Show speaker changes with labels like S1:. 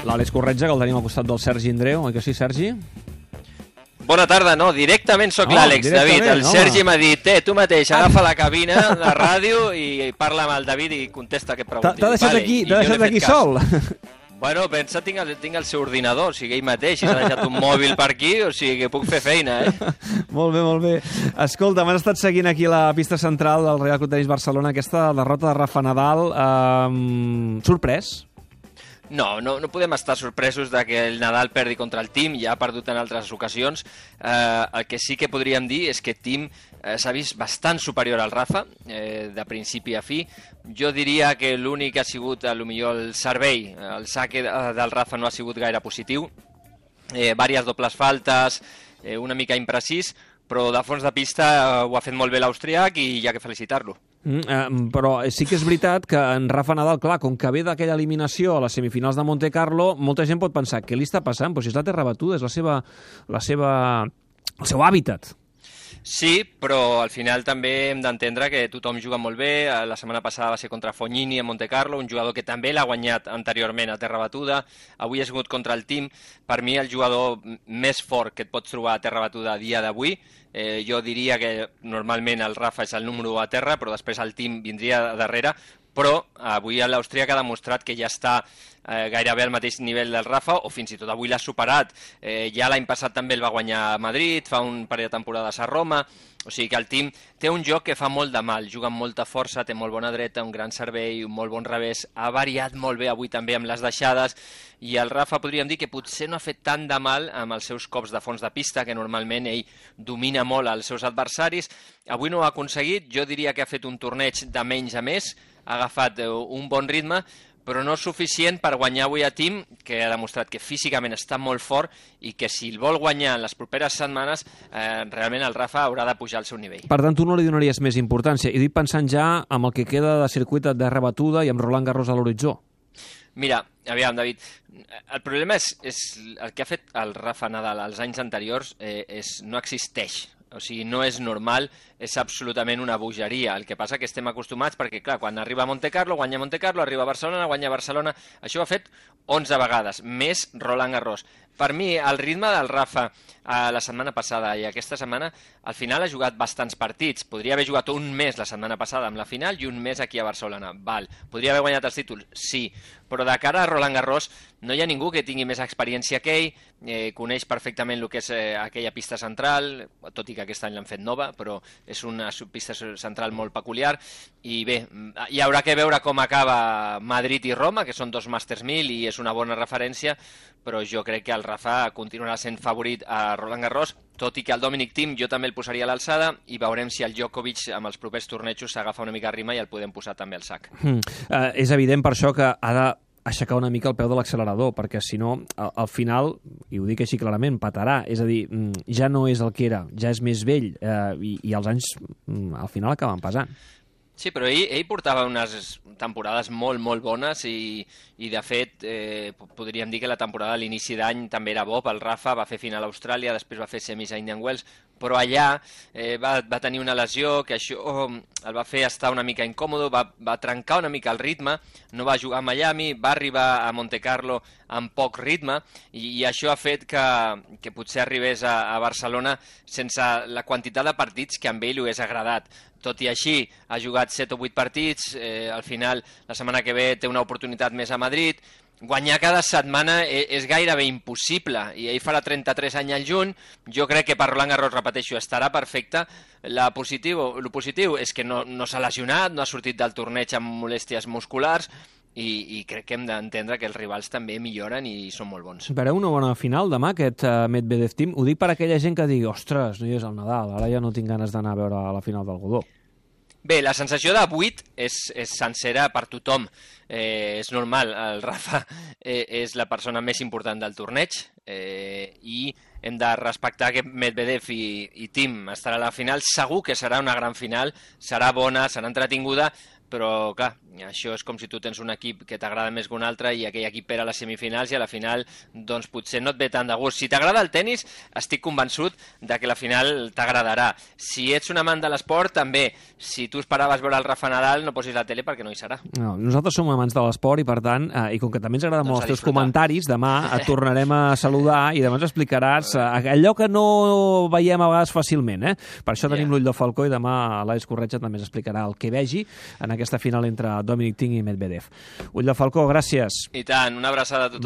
S1: L'Àlex Corretja, que el tenim al costat del Sergi Indreu, oi que sí, Sergi?
S2: Bona tarda, no, directament sóc l'Àlex, David. El Sergi m'ha dit, tu mateix, agafa la cabina, la ràdio, i parla amb el David i contesta que pregunti.
S1: T'ha deixat aquí sol?
S2: Bueno, pensa, tinc el seu ordinador, o sigui, ell mateix, i s'ha deixat un mòbil per aquí, o sigui, que puc fer feina,
S1: Molt bé, molt bé. Escolta, m'han estat seguint aquí la pista central del Real Club Tenis Barcelona, aquesta derrota de Rafa Nadal. Sorprès?
S2: No podem estar sorpresos de que el Nadal perdi contra el Thiem, ja ha perdut en altres ocasions. El que sí que podríem dir és que Thiem s'ha vist bastant superior al Rafa, de principi a fi. Jo diria que l'únic ha sigut, potser el servei, el saque del Rafa no ha sigut gaire positiu. Vàries dobles faltes, una mica imprecís, però de fons de pista ho ha fet molt bé l'austriac i hi ha que felicitar-lo.
S1: Però sí que és veritat que en Rafa Nadal, clar, com que ve d'aquella eliminació a les semifinals de Monte Carlo, molta gent pot pensar, què li està passant? Però si és la terra batuda, és el seu hàbitat.
S2: Sí, però al final també hem d'entendre que tothom juga molt bé. La setmana passada va ser contra Fognini a Monte Carlo, un jugador que també l'ha guanyat anteriorment a terra batuda. Avui ha sigut contra el Thiem. Per mi, el jugador més fort que et pots trobar a terra batuda a dia d'avui. Jo diria que normalment el Rafa és el número 1 a terra, però després el Thiem vindria darrere. Però avui l'Austríac ha demostrat que ja està gairebé al mateix nivell del Rafa, o fins i tot avui l'ha superat. Ja l'any passat també el va guanyar a Madrid, fa un parell de temporades a Roma, o sigui que el Thiem té un joc que fa molt de mal, juga amb molta força, té molt bona dreta, un gran servei, un molt bon revés, ha variat molt bé avui també amb les deixades, i el Rafa podríem dir que potser no ha fet tant de mal amb els seus cops de fons de pista, que normalment ell domina molt els seus adversaris. Avui no ho ha aconseguit, jo diria que ha fet un torneig de menys a més, ha agafat un bon ritme, però no és suficient per guanyar avui a Thiem, que ha demostrat que físicament està molt fort i que si el vol guanyar en les properes setmanes, realment el Rafa haurà de pujar al seu nivell.
S1: Per tant, tu no li donaries més importància. I dic pensant ja amb el que queda de circuit de rebatuda i amb Roland Garros a l'horitzó.
S2: Mira, aviam, David, el problema és el que ha fet el Rafa Nadal als anys anteriors no existeix. O sigui, no és normal, és absolutament una bogeria. El que passa que estem acostumats perquè, clar, quan arriba a Monte Carlo, guanya Monte Carlo, arriba a Barcelona, guanya Barcelona. Això ho ha fet 11 vegades, més Roland Garros. Per mi, el ritme del Rafa la setmana passada i aquesta setmana, al final ha jugat bastants partits. Podria haver jugat un mes la setmana passada amb la final i un mes aquí a Barcelona. Val. Podria haver guanyat els títols? Sí. Però de cara a Roland Garros no hi ha ningú que tingui més experiència que ell, coneix perfectament el que és aquella pista central, tot i que aquest any l'han fet nova, però és una pista central molt peculiar. I bé, hi haurà que veure com acaba Madrid i Roma, que són 2 Masters 1000 i és una bona referència, però jo crec que el Rafa continuarà sent favorit a Roland Garros, tot i que el Dominic Thiem jo també el posaria a l'alçada i veurem si el Djokovic amb els propers tornejos s'agafa una mica rima i el podem posar també al sac.
S1: És evident per això que ha d'aixecar una mica el peu de l'accelerador, perquè si no, al final, i ho dic així clarament, patarà, és a dir, ja no és el que era, ja és més vell i els anys al final acaben pesant.
S2: Sí, però ell portava unes temporades molt, molt bones i de fet, podríem dir que la temporada a l'inici d'any també era bo pel Rafa, va fer final a Austràlia, després va fer semis a Indian Wells, però allà va tenir una lesió que això el va fer estar una mica incòmode, va trencar una mica el ritme, no va jugar a Miami, va arribar a Monte Carlo amb poc ritme i això ha fet que potser arribés a Barcelona sense la quantitat de partits que amb ell li hagués agradat. Tot i així, ha jugat 7 o 8 partits, al final, la setmana que ve té una oportunitat més a Madrid. Guanyar cada setmana és gairebé impossible, i ell farà 33 anys al juny. Jo crec que per Roland Garros, repeteixo, estarà perfecte. El positiu és que no s'ha lesionat, no ha sortit del torneig amb molèsties musculars, i crec que hem d'entendre que els rivals també milloren i són molt bons.
S1: Veureu una bona final demà, aquest Medvedev-Thiem. Ho dic per aquella gent que digui, ostres, no hi és el Nadal, ara ja no tinc ganes d'anar a veure la final del Godó.
S2: Bé, la sensació de 8 és sencera per tothom. És normal, el Rafa és la persona més important del torneig i hem de respectar que Medvedev i Thiem estarà a la final. Segur que serà una gran final, serà bona, serà entretinguda, però clar, això és com si tu tens un equip que t'agrada més que un altre i aquell equip perd a les semifinals i a la final doncs potser no et ve tant de gust. Si t'agrada el tennis, estic convençut de que la final t'agradarà. Si ets un amant de l'esport, també. Si tu esperaves veure el Rafa Nadal, no posis la tele perquè no hi serà.
S1: No, nosaltres som amants de l'esport i, per tant, i com que també ens agraden molt els teus comentaris, demà et tornarem a saludar i demà ens explicaràs allò que no veiem a vegades fàcilment. Per això tenim l'ull de falcó i demà l'Àlex Corretja també ens explicarà el que vegi en aquesta final entre Dominic Thiem i Medvedev. Ull de falcó, gràcies.
S2: I tant, una abraçada a tothom.